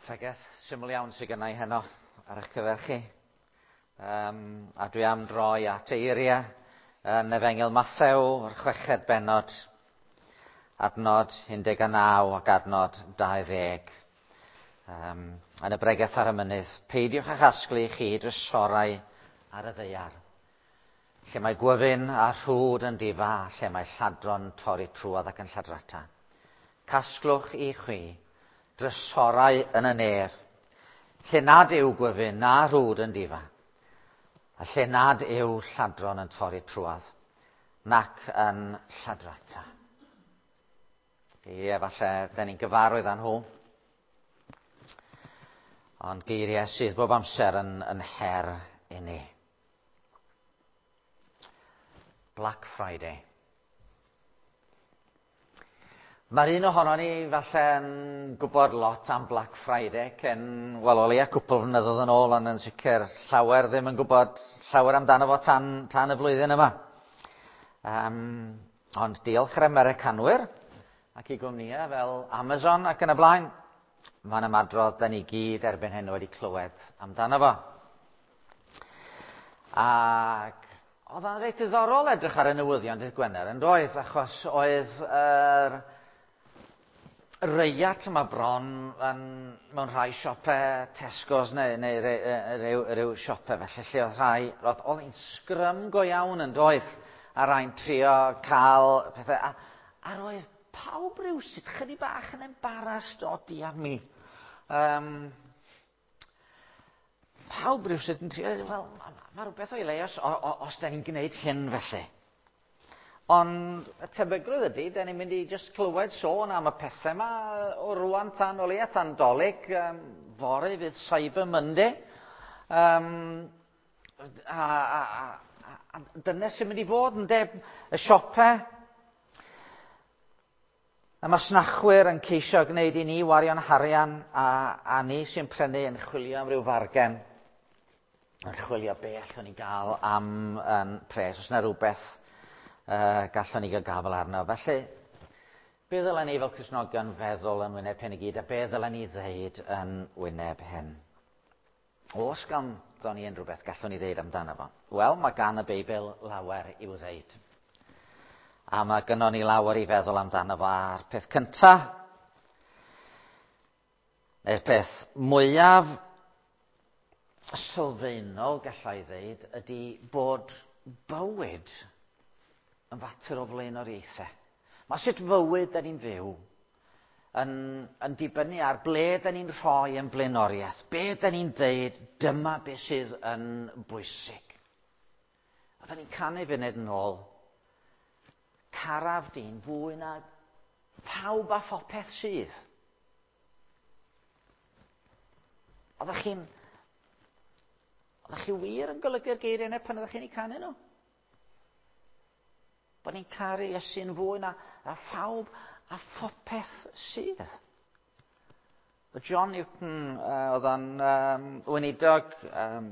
Pregeth syml iawn sydd gennau heno ar eich cyfer chi. Um, a dwi am droi at eiriau yn Efengyl Mathew, o'r chweched bennod, adnod 19 ac adnod 20. Um, yn y bregeth ar y mynydd, peidiwch â chasglu chi drysorau ar y ddaear, lle mae gwyfyn a rhwd yn difa, lle mae lladron torri trwodd ac yn lladrata. Casglwch i chwi drysorau yn y nef, lle nad yw gwyfyn na rhwd yn difa, a lle nad yw lladron yn torri trwodd, nac yn lladrata. Geiriau falle, da ni'n gyfarwydd â nhw, ond geiriau sydd bob amser yn, yn her i ni. Black Friday. Mae'r un ohono ni falle yn gwybod lot am Black Friday cyn, wel, o leia cwpl flynyddoedd yn ôl, ond yn sicr llawer ddim yn gwybod llawer amdano fo tan, tan y flwyddyn yma. Um, ond diolch i'r Americanwyr ac i gwmnïau fel Amazon ac yn y blaen, mae'n ymadrodd da ni gyd erbyn hyn wedi clywed amdano fo. Ac oedd o'n reit diddorol edrych ar y newyddion dydd Gwener yn doedd, achos oedd yr reiat yma bron yn, mewn rhai siopau Tesco's neu, neu rhyw, rhyw siopau felly, lle oedd rhai, roedd oedd hi'n sgrym go iawn yn doedd, a rhai'n trio cael pethau, a, a roedd pawb rhywsut chydig bach yn embarrassed o diar mi. Um, pawb rhywsut yn trio, wel, mae ma rhywbeth o'i le os, os, da ni'n gwneud hyn felly. Ond y tebygrwydd ydy, da ni'n mynd i just clywed sôn am y pethau yma o rwan tan o leia tan dolyg, um, fory fydd Cyber Monday. Um, a, a, a, a dyna sy'n mynd i fod yn deb y siopau Y masnachwyr yn ceisio gwneud i ni wario'n harian a, a ni sy'n prynu yn chwilio am ryw fargen. Yn chwilio be allwn ni gael am um, pres, os yna rhywbeth uh, gallwn ni gael gafel arno. Felly, be ddylen ni fel Cristnogion feddwl yn wyneb hyn i gyd, a be ddylen ni ddeud yn wyneb hyn? Oes ganddo ni unrhyw beth gallwn ni ddeud amdano fo? Wel, mae gan y Beibl lawer i'w ddeud. A mae gynnon ni lawer i feddwl amdano fo a'r peth cynta, neu'r peth mwyaf sylfaenol gallai ddeud ydy bod bywyd yn fater o flaenoriaethau. Mae sut fywyd da ni'n fyw yn, yn dibynnu ar ble da ni'n rhoi yn blaenoriaeth, be da ni'n dweud, dyma be sydd yn bwysig. A da ni'n canu funud yn ôl, caraf dyn fwy na pawb a phopeth sydd. Oeddech chi'n... Oeddech chi wir yn golygu'r geiriau yna pan oeddech chi'n eu canu nhw? Bod ni'n caru Iesu'n fwy na, a phawb a phopeth sydd. John Newton, uh, oedd o'n um, weinidog um,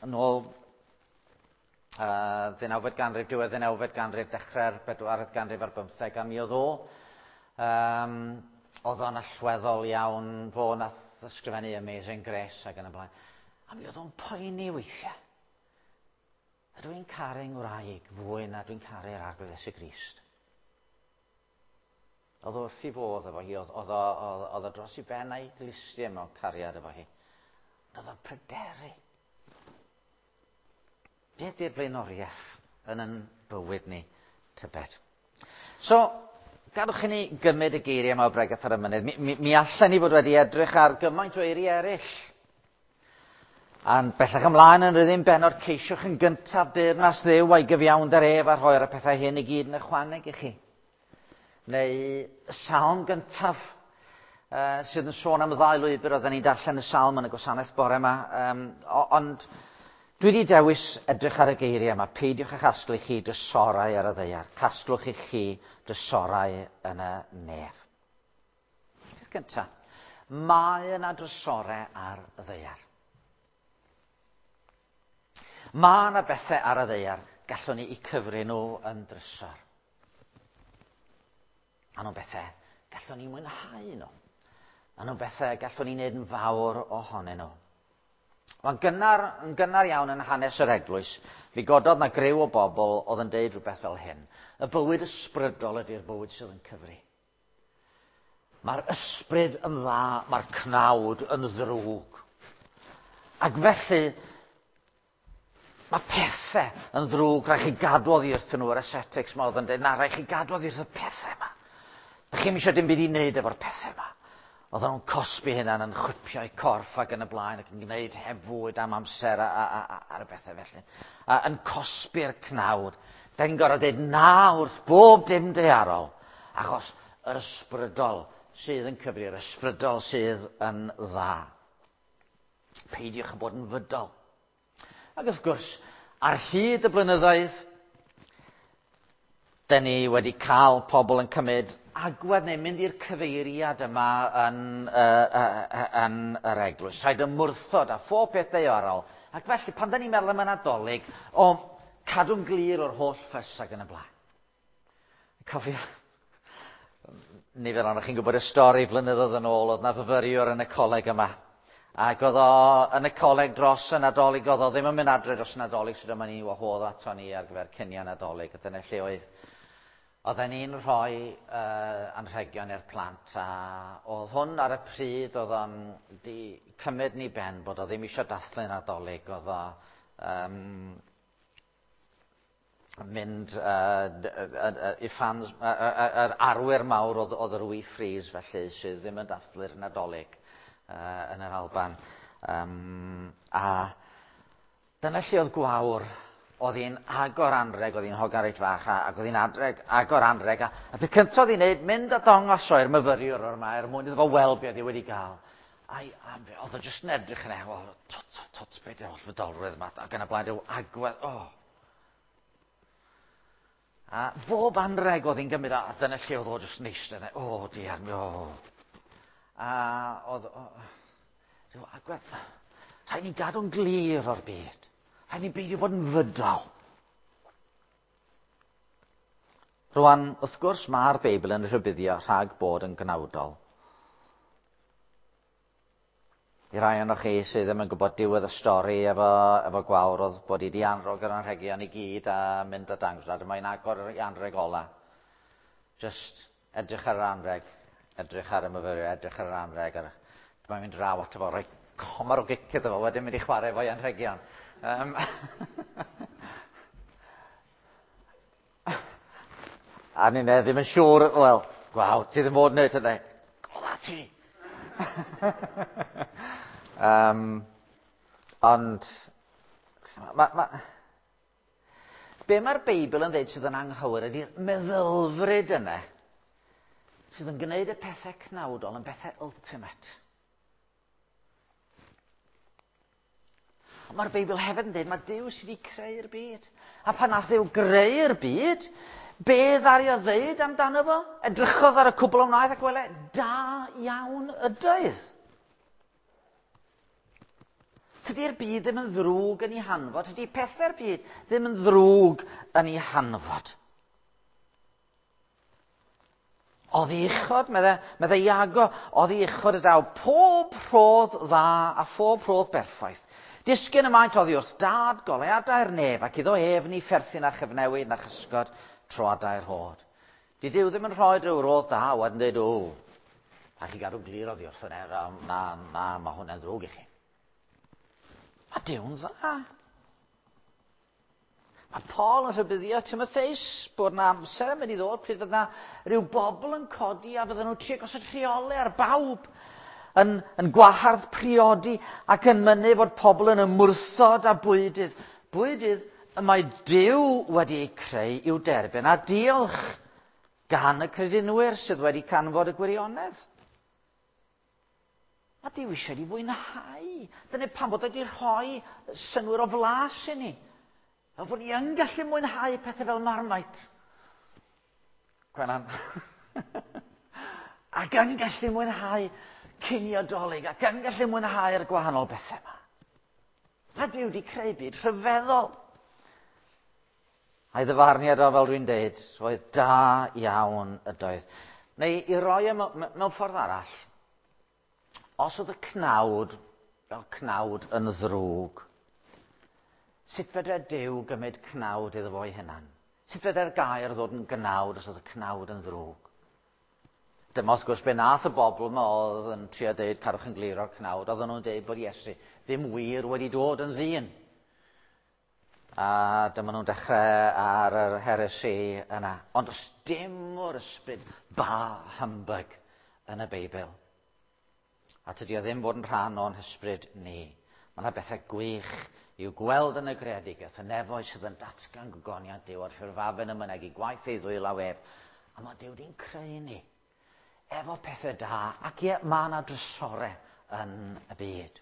yn ôl uh, ddeunawfed ganrif, diwedd ddeunawfed ganrif, dechrau'r bedwaredd ganrif ar bymtheg, a mi oedd o, um, oedd o'n allweddol iawn, fo nath ysgrifennu Amazing Grace ac yn y blaen. A mi oedd o'n poeni weithiau. Ydw i'n caru ngwraig fwy na dwi'n caru'r Arglwydd Iesu Grist? Oedd wrth i fodd efo hi, oedd, oedd, oedd, oedd o dros i ben a'i glustiau mewn cariad efo hi. Oedd o'n pryderu. Be ydy'r blaenoriaeth yn yn bywyd ni, tybed? So, gadwch i ni gymryd y geiriau yma o Bregeth ar y Mynydd. Mi, mi, mi allan ni fod wedi edrych ar gymaint o eiriau eraill. A'n bellach ymlaen yn rydyn benod ceisiwch yn gyntaf deyrnas Dduw a'i gyfiawnder ef a rhoi'r pethau hyn i gyd yn ychwaneg i chi. Neu y salm gyntaf uh, sydd yn sôn am y ddau lwybr, oedden ni'n darllen y salm yn y gwasanaeth bore yma, um, ond dwi wedi dewis edrych ar y geiriau yma. Peidiwch â chasglu chi drysorau ar y ddaear. Casglwch i chi drysorau yn y nef. Peth gyntaf, mae yna drysorau ar y ddaear. Mae yna bethau ar y ddaear gallwn ni i cyfri nhw yn drysor. Maen nhw'n bethau gallwn ni mwynhau nhw. Maen nhw'n bethau gallwn ni wneud yn fawr ohonyn nhw. Mae'n gynnar, yn gynnar iawn yn hanes yr eglwys, mi gododd na griw o bobl oedd yn deud rhywbeth fel hyn. Y bywyd ysbrydol ydy'r bywyd sydd yn cyfri. Mae'r ysbryd yn dda, mae'r cnawd yn ddrwg. Ac felly, mae pethau yn ddrwg, rhaid chi gadw oddi wrthyn nhw, yr ascetics ma oedd yn dweud, na, rhaid chi gadw oddi wrth y pethau yma. Dych chi'm eisiau dim byd i wneud efo'r pethau yma. Oedden nhw'n cosbi hynna'n yn chwipio'u corff ac yn y blaen ac yn gwneud heb fwyd am amser a, a, a, a, ar y bethau felly. A, yn cosbi'r cnawd. Da ni'n gorfod dweud na wrth bob dim daearol, achos yr ysbrydol sydd yn cyfri, yr ysbrydol sydd yn dda. Peidiwch â bod yn fydol. Ac wrth gwrs, ar hyd y blynyddoedd, dyn ni wedi cael pobl yn cymryd agwedd neu mynd i'r cyfeiriad yma yn, uh, uh, yn yr eglwys. Rhaid ymwrthod a phob peth daearol. Ac felly, pan da ni'n meddwl am y Nadolig, o, cadw'n glir o'r holl ffys ac yn y blaen. Cofio, nifer ohonoch chi'n gwybod y stori flynyddoedd yn ôl, oedd na fyfyriwr yn y coleg yma. Ac oedd o yn y coleg dros y Nadolig, oedd o ddim yn mynd adre dros y Nadolig, so dyma ni wahodd ato ni ar gyfer cinio Nadolig, a dyna lle oedd Oedden ni'n rhoi uh, anrhegion i'r plant, a oedd hwn ar y pryd oedd o'n di cymryd ni ben bod o ddim eisiau dathlu Nadolig, oedd o um, mynd uh, i ffans, yr arwyr mawr oedd, oedd yr Wee Freeze felly, sydd ddim yn dathlu'r Nadolig uh, yn yr Alban. Um, a dyna lle oedd Gwawr, oedd hi'n agor anreg, oedd hi'n hogan reit fach, a, ac oedd hi'n adreg, agor anreg, a, a peth cyntaf oedd hi'n neud, mynd a dongos o i'r myfyriwr o'r ma, er mwyn iddo fo weld be oedd hi wedi gael. Ai, a oedd o jyst yn edrych yn e, o, tot, tot, tot, beth yw'r holl fydolrwydd yma, ac yn y blaen, rhyw agwedd, o. A bob anreg oedd hi'n gymryd, a dyna lle oedd o jyst yn eistedd, o, diar, o. A oedd, o, rhyw agwedd, rhaid ni gadw'n glir o'r byd. Rhaid ni beidio bod yn fydol. Rwan, wrth gwrs, mae'r Beibl yn rhybuddio rhag bod yn gnawdol. I rai ohonoch chi sydd ddim yn gwybod diwedd y stori efo, efo Gwawr oedd bod hi wedi anrhog yr anrhegion i gyd a mynd a dangos. A dyma hi'n agor yr anrheg ola. Just edrych ar yr anrheg, edrych ar y myfyriwr, edrych ar yr anrheg. Ar... Dyma hi'n mynd draw ato fo, rhoi comar o gic iddo fo, wedyn mynd i chwarae efo'i anrhegion. Um, A ni'n ddim yn siŵr, wel, gwaw, ti ddim fod wneud hynny. Gola ti! um, ond, ma, ma, be mae'r Beibl yn dweud sydd yn anghywir ydy'r meddylfryd yna sydd yn gwneud y pethau cnawdol yn bethau ultimate. Ond mae'r Beibl hefyd yn dweud mae Duw sydd wedi creu'r byd. A pan nath Dduw greu'r byd, be ddaru o ddeud amdano fo? Edrychodd ar y cwbl o wnaeth ac wele, da iawn ydoedd. Tydi'r byd ddim yn ddrwg yn ei hanfod, tydi pethau'r byd ddim yn ddrwg yn ei hanfod. Oddi uchod, medde, medde Iago, oddi uchod y daw pob rhodd dda a phob rhodd berffaith. Disgyn y maent oddi wrth dad goleuadau'r nef ac iddo ef ni pherthyn a chyfnewid na chysgod troadau'r rhod. Di Duw ddim yn rhoi rhyw rodd da wedyn dweud, o, a chi gadw glir oddi wrth yna, na, na, mae hwnna'n ddrwg i chi. Mae Duw'n dda. Mae Paul yn rhybuddio Timotheus bod na amser yn mynd i ddod pryd fydd na rhyw bobl yn codi a fydden nhw'n trio gosod rheolau ar bawb yn, yn gwahardd priodi ac yn mynnu fod pobl yn ymwrthod â bwydydd. Bwydydd y mae Duw wedi eu creu i'w derbyn a diolch gan y credinwyr sydd wedi canfod y gwirionedd. Mae Duw eisiau ni fwynhau. Dyna pam bod wedi rhoi synnwyr o flas i ni. Fel bod ni yn gallu mwynhau pethau fel Marmite. Gwenan. Ac yn gallu mwynhau cinio Dolig, ac yn gallu mwynhau'r gwahanol bethau yma. Mae Duw wedi creu byd rhyfeddol. A'i ddyfarniad o, fel dwi'n deud, oedd da iawn ydoedd. Neu i roi e mewn ffordd arall. Os oedd y cnawd fel cnawd yn ddrwg, sut fedre Duw gymryd cnawd iddo fo'i hunan? Sut fedre'r gair ddod yn gnawd os oedd y cnawd yn ddrwg? Dyma wrth gwrs be nath y bobl yma oedd yn trio deud cadwch yn glir o'r cnawd, oedden nhw'n deud bod Iesu ddim wir wedi dod yn ddyn. A dyma nhw'n dechrau ar yr heresi yna. Ond does dim o'r ysbryd bah humbug yn y Beibl. A tydi o ddim fod yn rhan o'n hysbryd ni. Mae yna bethau gwych i'w gweld yn y greadigaeth, y nefoedd sydd yn datgan gogoniant Duw a'r ffurfafen yn mynegi gwaith ei ddwylaw ef. A mae Duw di'n creu ni efo pethau da, ac ie, mae yna drysore yn y byd.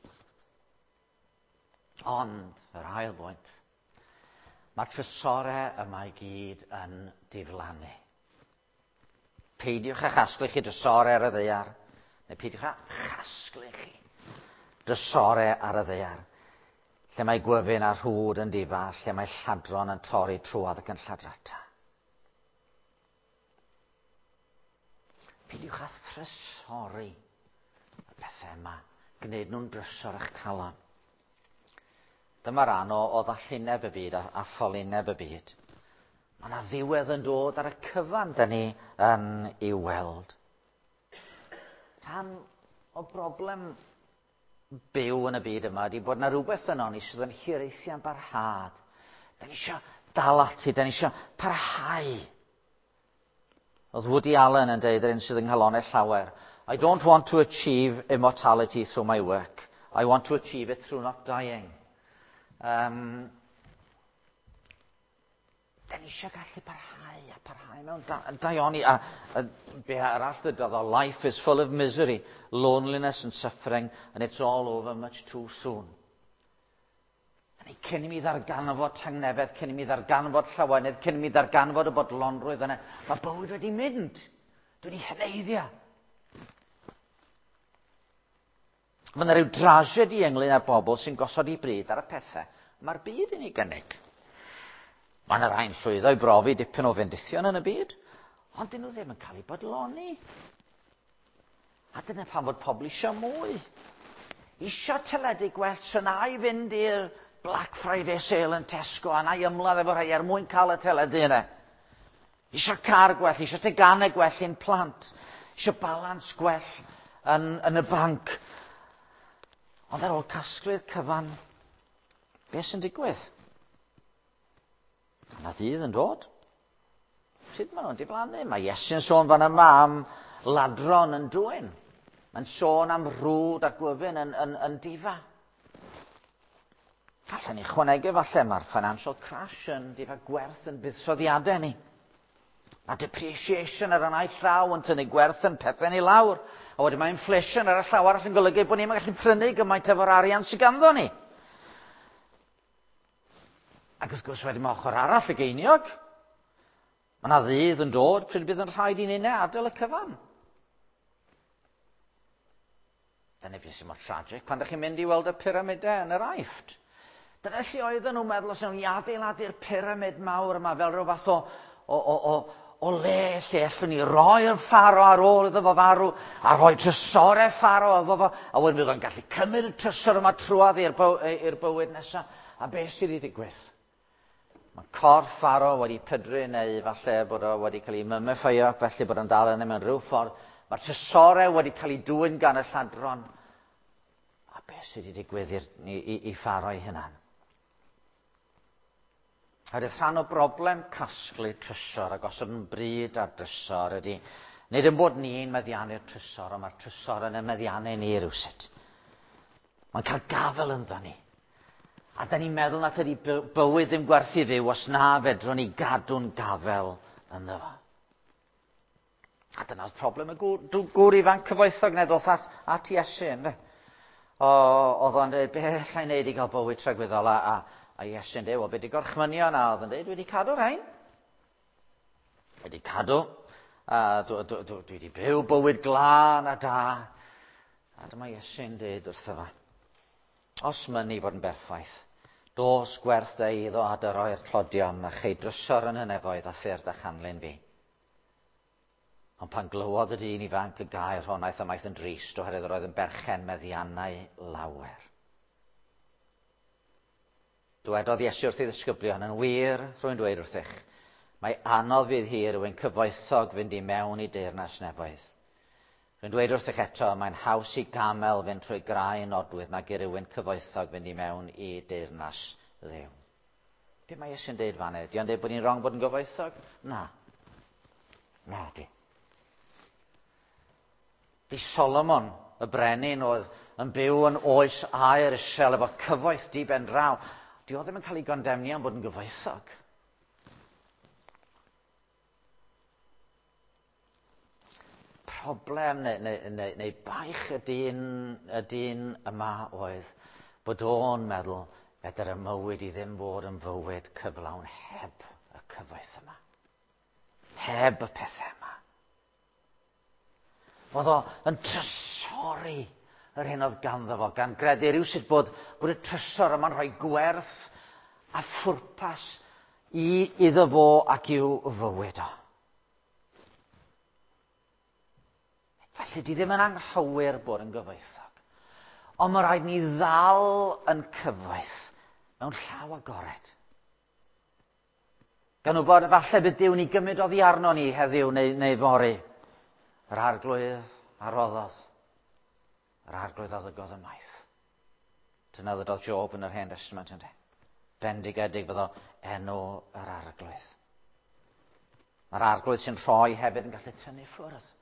Ond, yr ail bwynt, mae'r trysore yma i gyd yn diflannu. Peidiwch â chasglu chi drysore ar y ddaear, neu peidiwch â chasglu chi drysore ar y ddaear, lle mae gwyfyn a rhwd yn difa, lle mae lladron yn torri trwodd ac yn lladrata. Peidiwch â thrysori y pethau yma, gwneud nhw'n drysor eich calon. Dyma ran o, o ddallineb y byd a, a ffolineb y byd. Mae yna ddiwedd yn dod ar y cyfan dyn ni yn ei weld. Rhan o broblem byw yn y byd yma ydy bod yna rhywbeth yno ni sydd yn hiraethu am barhad. Da ni eisiau dal ati, da ni eisiau parhau. Oedd Woody Allen yn deud yr un sydd yng nghalonau llawer, I don't want to achieve immortality through my work. I want to achieve it through not dying. Da ni eisiau gallu parhau a parhau mewn da, daioni. A be arall ddydodd o, life is full of misery, loneliness and suffering, and it's all over much too soon. A ni cyn i mi ddarganfod tangnefedd, cyn i mi ddarganfod llawenydd, cyn i mi ddarganfod y bodlonrwydd yna, mae bywyd wedi mynd. Dwi wedi heneiddio. Mae yna rhyw drasiedi ynglyn â'r bobl sy'n gosod i bryd ar y pethau mae'r byd yn ei gynnig. Mae yna rhai'n llwyddo i brofi dipyn o fendithion yn y byd, ond dyn nhw ddim yn cael eu bodloni. A dyna pam fod pobl eisiau mwy. Eisiau teledu gwell, so na i fynd i'r Black Friday sale yn Tesco a na i ymladd efo rhai er mwyn cael y teledu yna. Eisiau car gwell, eisiau teganau gwell i'n plant, eisiau balans gwell yn, yn y banc. Ond ar ôl casglu'r cyfan, beth sy'n digwydd? Yna ddydd yn dod. Sut maen nhw'n diflannu? Mae Iesu'n sôn fan yma am ladron yn dwyn. Mae'n sôn am rwd a gwyfyn yn, yn, yn difa. Allan ni chwanegu falle mae'r financial crash yn difa gwerth yn buddsoddiadau ni. Mae depreciation ar y naill llaw yn tynnu gwerth yn pethau ni lawr. A wedyn mae inflation ar y llaw arall yn golygu bod ni'n gallu prynu gymaint efo'r arian sydd ganddo ni. Ac wrth gwrs wedyn mae ochr arall y geiniog. Mae yna ddydd yn dod pryd bydd yn rhaid i ni'n adael y cyfan. Dyna beth sy'n mor tragic pan ydych chi'n mynd i weld y pyramidau yn yr Aifft. Dyna lle oedden nhw'n meddwl os nhw'n i adeiladu'r pyramid mawr yma fel rhyw fath o, o, o, o, o le lle allwn ni roi'r Pharo ar ôl iddo fo farw a rhoi trysorau Pharo iddo fo a wedyn bydd o'n gallu cymryd y trysor yma trwodd i'r byw, bywyd nesaf. A beth sydd wedi digwydd? Mae corff Pharo wedi pydru neu falle bod o wedi cael ei mumifio felly bod o'n dal yna mewn rhyw ffordd. Mae'r trysorau wedi cael ei dwyn gan y lladron. A beth sydd wedi digwydd i'r, i, i, i Pharo ei hunan? Oherwydd rhan o broblem casglu trysor a gosod yn bryd ar drysor ydy, nid yn bod ni'n meddiannu'r trysor, ond mae'r trysor yn y meddiannu ni rywsut. Mae'n cael gafel ynddo ni. A da ni'n meddwl na tydi bywyd ddim gwerth i fyw os na fedrwn ni gadw'n gafel ynddo fo. A dyna oedd problem y gŵr, gŵr ifanc cyfoethog neu ddoth at, at Iesu, ynddo. O, oedd o'n dweud, be allai wneud i gael bywyd tragwyddol? A, a, a Iesu'n dweud, wel, be di gorchmynion? A oedd yn dweud, dwi wedi cadw rhain. Wedi cadw. A dwi, dwi, dwi, dwi wedi byw bywyd glân a da. A dyma Iesu'n dweud wrtho fo, os mynnu fod yn berffaith, dos gwerth dy eiddo a dy roi'r tlodion a chei drysor yn y nefoedd a thyr dy chanlyn fi. Ond pan glywodd y dyn ifanc y gair hon, aeth ymaith yn drist oherwydd yr oedd yn berchen meddiannau lawer. Dywedodd Iesu wrth ei ddisgyblion, yn wir, rwy'n dweud wrthych, mae anodd fydd hi rywun cyfoethog fynd i mewn i deyrnas nefoedd. Rwy'n dweud wrthych eto, mae'n haws i gamel fynd trwy grau nodwydd nag i rywun cyfoethog fynd i mewn i deyrnas Dduw. Be mae Iesu'n deud fan Di o'n deud bod ni'n wrong bod yn gyfoethog? Na. Na, di. Di Solomon, y brenin oedd yn byw yn oes aer isel efo cyfoeth di ben draw, di o ddim yn cael ei gondemnio am bod yn gyfoethog. Problem neu, neu, neu, neu baich y dyn, y dyn yma oedd bod o'n meddwl fedr y mywyd i ddim fod yn fywyd cyflawn heb y cyfoeth yma. Heb y pethau yma. Oedd o yn trysori yr hyn oedd ganddo fo, gan gredu rhywsut bod, bod y trysor yma'n rhoi gwerth a phwrpas i iddo fo ac i'w fywyd o. Felly, di ddim yn anghywir bod yn gyfoethog. Ond mae rhaid ni ddal yn cyfoeth mewn llaw agored. Gan wybod falle bydd Duw ni gymryd oddi arno ni heddiw neu, neu fory. Yr arglwydd a roddodd. Yr arglwydd a ddygodd ymaith. Dyna ddydodd Job yn yr Hen Testament ynddo. Bendigedig fyddo enw yr arglwydd. Mae'r arglwydd sy'n rhoi hefyd yn gallu tynnu ffwrdd.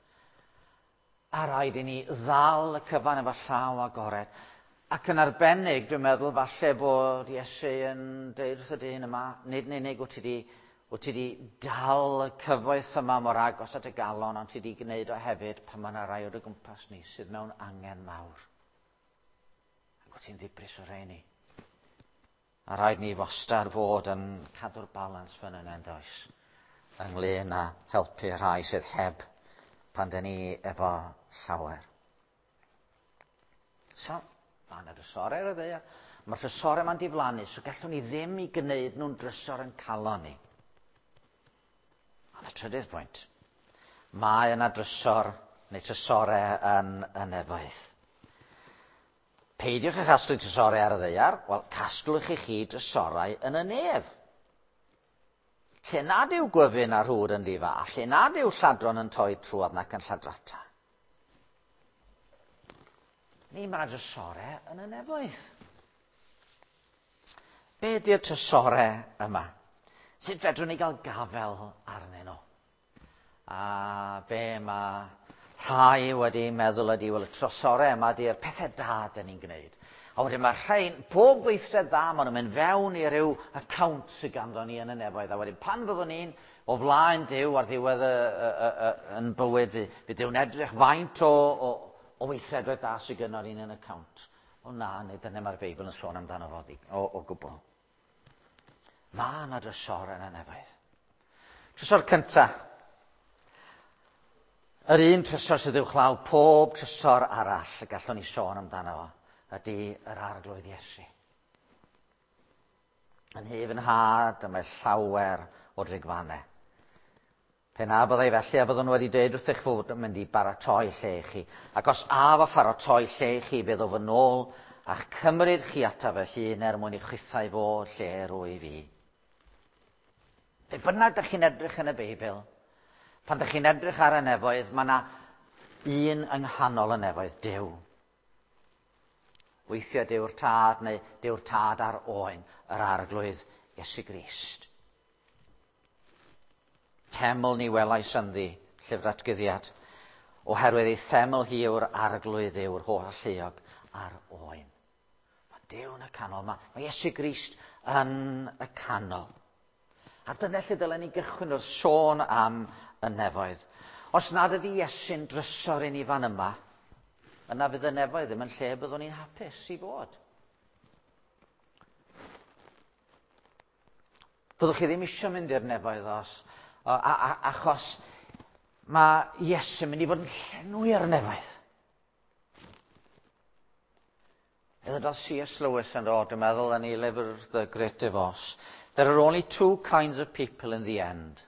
A rhaid i ni ddal y cyfan efo llaw agored. Ac yn arbennig, dwi'n meddwl, falle bod Iesu yn deud wrth y dyn yma, nid yn unig wyt ti di, wyt ti di dal y cyfoeth yma mor agos at y galon, ond ti di gwneud o hefyd pan mae yna rai o dy gwmpas ni sydd mewn angen mawr. Ac wyt ti'n ddibris o rheini. A rhaid ni wastad fod yn cadw'r balans fan yna, does? Ynglyn â helpu rhai sydd heb pan dyn ni efo llawer. So, mae yna drysorau ar y ddaear. Mae'r drysorau yma'n diflannu, so gallwn ni ddim i gwneud nhw'n drysor yn calon ni. Ond y trydydd pwynt, mae yna drysor neu trysorau yn y nefoedd. Peidiwch â chasglu trysorau ar y ddaear, wel, casglwch i chi drysorau yn y nef. Lle nad yw gwyfyn a rhwd yn difa, a lle nad yw lladron yn torri trwodd nac yn lladrata. Ni mae drysorau yn y nefoedd. Be ydy'r trysorau yma? Sut fedrwn ni gael gafel arnyn nhw? A be mae rhai wedi meddwl ydy, wel, y trysorau yma ydy'r pethau da dyn ni'n gwneud. A wedyn mae rhain, pob gweithred dda, maen nhw'n mynd fewn i ryw account sydd ganddo ni yn y nefoedd. A wedyn pan fyddwn ni'n o flaen Duw ar ddiwedd y, y, y, y, yn bywyd, fi, fydd Duw'n edrych faint o, o, o weithredoedd da sydd gynno ni'n yn y account. O na, nid dyna mae'r Beibl yn sôn amdano fo o, o gwbl. Mae yna drysor yn y nefoedd. Trysor cyntaf. Yr un trysor sydd uwchlaw pob trysor arall y gallwn ni sôn amdano fo ydy yr arglwydd Iesu. Yn hyf yn nhad, y mae llawer o drigfannau. Pe na byddai felly, a byddwn wedi dweud wrthych fod yn mynd i baratoi lle i chi. Ac os af a pharatoi lle i chi, bydd o fy nôl a'ch cymryd chi ataf fy hun er mwyn i chwithau fod lle rwy fi. Be bynnag ydych chi'n edrych yn y Beibl, pan ydych chi'n edrych ar y nefoedd, mae yna un yng nghanol y nefoedd, Duw. Weithiau Duw'r Tad neu Duw'r Tad a'r Oen, yr Arglwydd Iesu Grist. Teml ni welais ynddi, llyfr atgyddiad, oherwydd ei theml hi yw'r Arglwydd yw'r holl alluog a'r Oen. Mae Duw yn y canol, mae, mae Iesu Grist yn y canol. A dyna lle dylen ni gychwyn wrth sôn am y nefoedd. Os nad ydy Iesu'n drysor i ni fan yma, yna fydd y nefoedd ddim yn lle byddwn ni'n hapus i fod. Byddwch chi ddim eisiau mynd i'r nefoedd os, a, a, achos mae Iesu'n mynd i fod yn llenwi'r nefoedd. Ddywedodd C.S. Lewis yn dod, dwi'n meddwl, yn ei lyfr The Great Divorce. There are only two kinds of people in the end.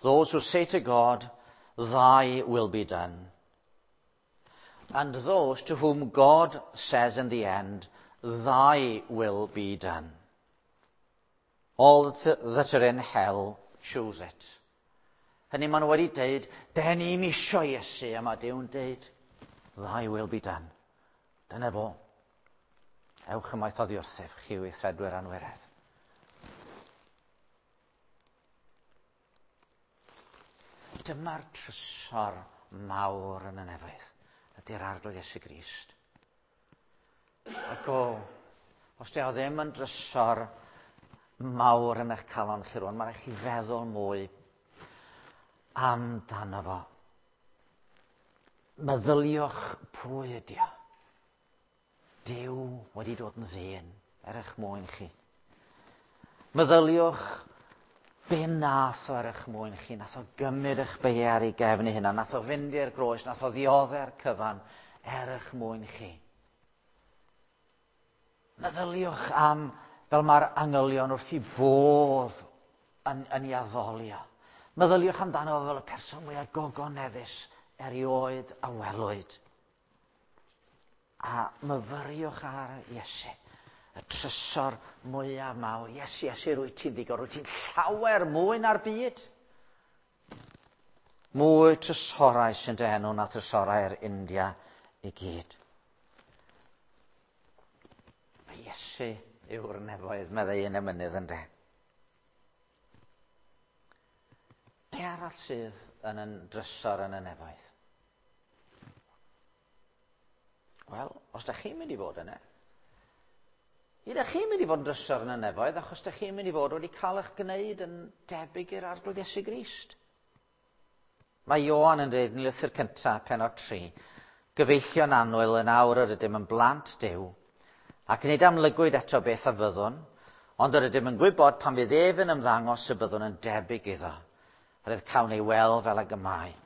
Those who say to God, Thy will be done. And those to whom God says in the end, Thy will be done. All that are in hell choose it. Hynny maen nhw wedi deud, den ni'm isio Iesu, a mae Duw'n deud, Thy will be done. Dyna fo. Ewch ymaith oddi wrthyf, chi weithredwyr anwiredd. Dyma'r trysor mawr yn y nefoedd, ydy'r Arglwydd Iesu Grist. Ac o, os di o ddim yn drysor mawr yn eich calon chi rwan, mae'n rhaid chi feddwl mwy amdano fo. Meddyliwch pwy ydy o. Duw wedi dod yn ddyn er eich mwyn chi. Meddyliwch be nath o er eich mwyn chi. Nath o gymryd eich beiau ar ei gefn ei hunan. Nath o fynd i'r groes. Nath o ddiodde'r cyfan er eich mwyn chi. Meddyliwch am fel mae'r angylion wrth i fodd yn, yn ei addoli o. Meddyliwch amdano fel y person mwyaf gogoneddus erioed a welwyd. A myfyriwch ar Iesu, y trysor mwyaf mawr. Iesu, Iesu, rwy ti'n ddigon, rwy ti'n llawer mwy na'r byd. Mwy trysorau sy'n dy enw na trysorau'r India i gyd. Mae Iesu yw'r nefoedd, meddai un emynydd yn de. Be arall sydd yn yn drysor yn y nefoedd? Wel, os da chi'n mynd i fod yna, i da chi'n mynd i fod yn drysor yn y nefoedd, achos da chi'n mynd i fod wedi cael eich gwneud yn debyg i'r Arglwydd Iesu Grist. Mae Ioan yn dweud yn lythyr cyntaf, penod 3, Gyfeillion annwyl yn awr yr ydym yn blant Duw, ac nid amlygwyd eto beth a fyddwn, ond yr ydym yn gwybod pan fydd ef yn ymddangos y byddwn yn debyg iddo, yr cawn ei weld fel ag y mae.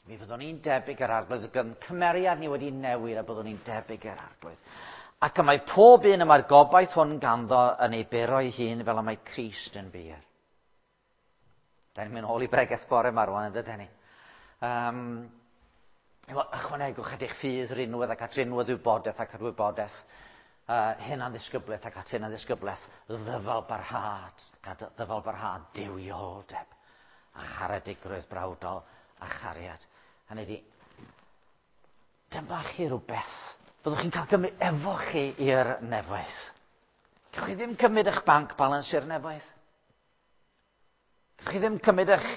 Mi fyddwn ni'n debyg i'r arglwydd, gyda'n cymeriad ni wedi newid a byddwn ni'n debyg i'r arglwydd. Ac y mae pob un y mae'r gobaith hwn ganddo yn ei buro ei hun fel y mae Crist yn bur. Da ni'n mynd ôl i bregeth bore yma rwan, yn dydyn ni? Um, ychwanegwch at eich ffydd rinwedd ac at rinwedd wybodaeth ac at wybodaeth uh, hyn ddisgyblaeth ac at hyn ddisgyblaeth ddyfal barhad ac at ddyfal barhad duwioldeb a charedigrwydd brawdol a chariad. Hynny ydi, dyma chi rhywbeth byddwch chi'n cael gymryd efo chi i'r nefoedd. Gewch chi ddim cymryd eich bank balance i'r nefoedd. Gewch chi ddim cymryd eich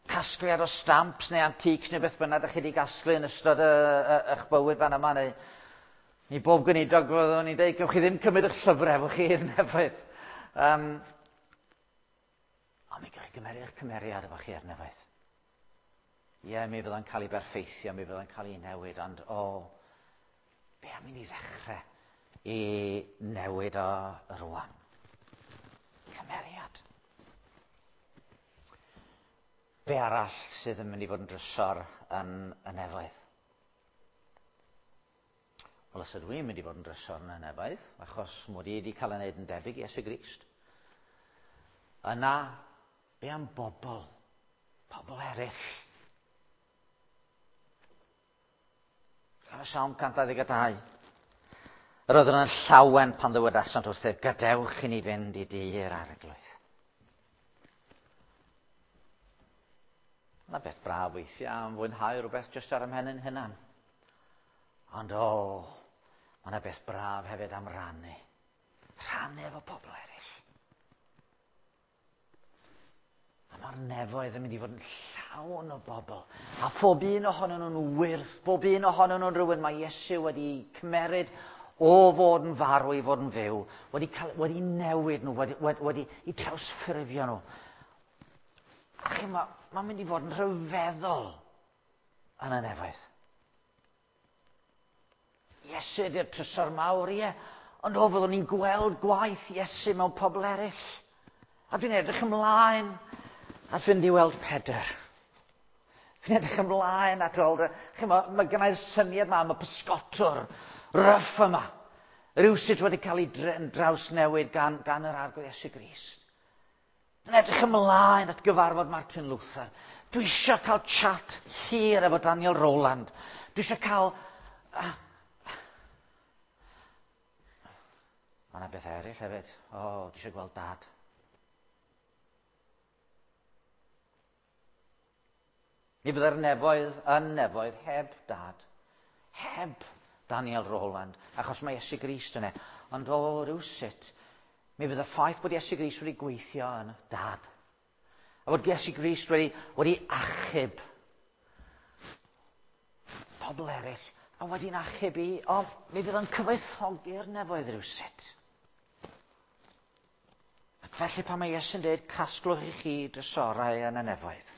casgliad o stamps neu antiques neu beth bynnag ydych chi wedi gasglu yn ystod y, y, eich bywyd fan yma neu i bob gweinidog fyddwn ni'n dweud, gewch chi ddim cymryd eich llyfrau efo chi i'r nefoedd. Um, ond mi gewch chi gymeru eich cymeriad efo chi i'r nefoedd. Ie, yeah, mi fydda'n cael ei berffeithio, mi fydda'n cael ei newid, ond o, be am i ni ddechrau i newid o rwan? Cymeriad. Be arall sydd yn mynd i fod yn drysor yn y nefoedd? Wel, os ydw i'n mynd i fod yn drysor yn y nefoedd, achos mod i wedi cael ei wneud yn debyg i Iesu Grist, yna, be am bobl? Pobl eraill. Llyfr Salm 122. Yr oeddwn yn llawen pan ddywedasant wrthyf, gadewch i ni fynd i dŷ'r arglwydd. Yna beth braf weithiau am fwynhau rhywbeth jyst ar ymhen yn hunan. Ond o, mae yna beth braf hefyd am rannu. Rhannu efo pobl eraill. A mae'r nefoedd yn mynd i fod yn llawn o bobl. A phob un ohonyn nhw'n wyrth, bob un ohonyn nhw'n rhywun mae Iesu wedi cymeryd o fod yn farw i fod yn fyw, wedi, cael, wedi newid nhw, wedi, wedi, wedi i trawsffurfio nhw. A chi, mae'n ma mynd i fod yn rhyfeddol yn y nefoedd. Iesu ydy'r trysor mawr, ie. Ond o, fyddwn ni'n gweld gwaith Iesu mewn pobl eraill. A dwi'n edrych ymlaen at fynd i weld Pedr. Dwi'n edrych ymlaen at weld... Chimo, mae gennau'r syniad yma am y pysgotwr ryff yma. Rhywsut wedi cael ei drawsnewid gan, gan yr arglwydd Iesu Grist. Dwi'n edrych ymlaen at gyfarfod Martin Luther. Dwi eisiau cael chat hir efo Daniel Rowland. Dwi eisiau cael... Mae yna bethau eraill hefyd. O, oh, dwi eisiau gweld Dad. Mi fydde'r nefoedd yn nefoedd heb Dad. Heb Daniel Rowland, achos mae Iesu Grist yna. Ond o, rywsut, mi fydd y ffaith bod Iesu Grist wedi gweithio yn Dad. A bod Iesu Grist wedi achub pobl eraill a wedi'n achub i, o, mi fydd o'n cyfoethogi'r nefoedd rywsut. Ac felly pan mae Iesu'n dweud, casglwch i chi drysorau yn y nefoedd.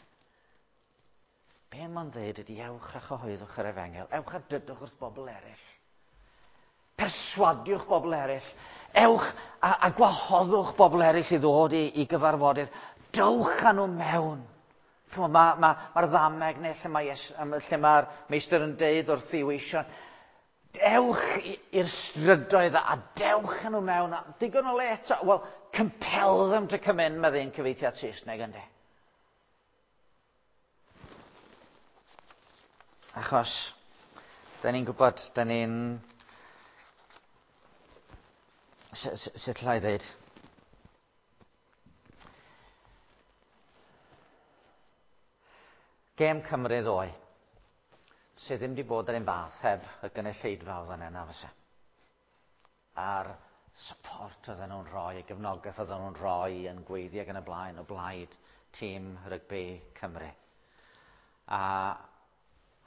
Be mae'n dweud ydy ewch a chyhoeddwch yr efengyl, ewch a dydwch wrth bobl eraill. Perswadiwch bobl eraill. Ewch a gwahoddwch bobl eraill i ddod i gyfarfodydd. Dowch â nhw mewn. Mae'r ddameg neu lle mae'r meistr yn deud wrth ei weision, ewch i'r strydoedd a dewch â nhw mewn. A digon o le eto. Wel, compel them to come in, mae ddyn cyfeithiad Saesneg ynddi. Achos, da ni'n gwybod, da ni'n... Sut llai ddeud? Gêm Cymru ddoe, sydd ddim wedi bod yr un fath heb y gynulleidfa oedd yna, na fysa. A'r support oedden nhw'n rhoi, y gefnogaeth oedden nhw'n rhoi yn gweiddi ac yn y blaen o blaid tîm rygbi Cymru. A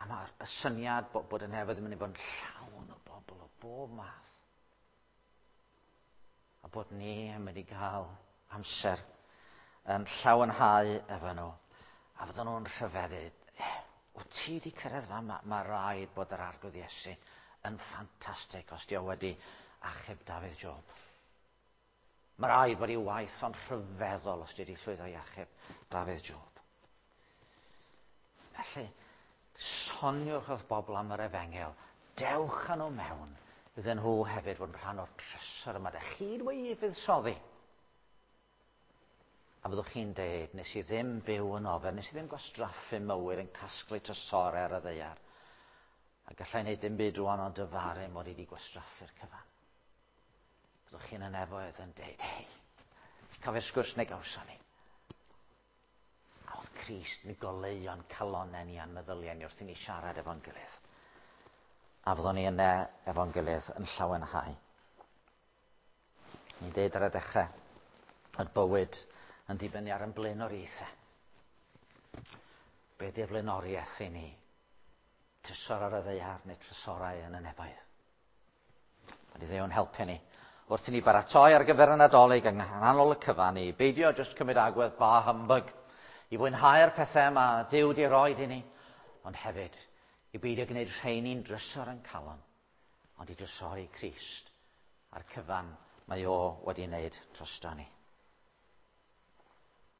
mae'r syniad bod y nefoedd yn mynd i fod yn llawn o bobl o bob math. A bod ni yn mynd i gael amser yn llawenhau efo nhw. A fydden nhw'n rhyfeddu. Wyt ti wedi cyrraedd fan? Mae rhaid bod yr Arglwydd Iesu yn ffantastig os di o wedi achub Dafydd Job. Mae rhaid bod ei waith o'n rhyfeddol os di wedi llwyddo i achub Dafydd Job. Felly, soniwch wrth bobl am yr efengyl. Dewch â nhw mewn. Iddyn nhw hefyd fod yn rhan o'r trysor yma. Dych chi'n wedi fuddsoddi. A fyddwch chi'n deud, nes i ddim byw yn ofer, nes i ddim gwastraffu mywyd yn casglu trysorau ar y ddaear. A gallai wneud dim byd rwan ond dyfaru mod i wedi gwastraffu'r cyfan. Byddwch chi'n y nefoedd yn deud, hei, cofio'r sgwrs neu gawson ni. A oedd Crist yn goleuo'n calonnau ni a'n meddyliau ni wrth i ni siarad efo'n gilydd. A fyddwn ni yna efo'n gilydd yn llawenhau. Ni'n deud ar y dechrau, oedd bywyd yn dibynnu ar ein blaenoriaethau. Be di'r flaenoriaeth i ni? Trysor ar y ddaear neu trysorau yn y nefoedd? Mae di Dduw'n helpu ni. Wrth i ni baratoi ar gyfer y Nadolig yng nghanol y cyfan i beidio jyst cymryd agwedd bah humbug, i fwynhau'r pethau mae Duw di roed i ni, ond hefyd i beidio gwneud rheini'n drysor yn calon, ond i drysori Crist a'r cyfan mae o wedi wneud drosto ni.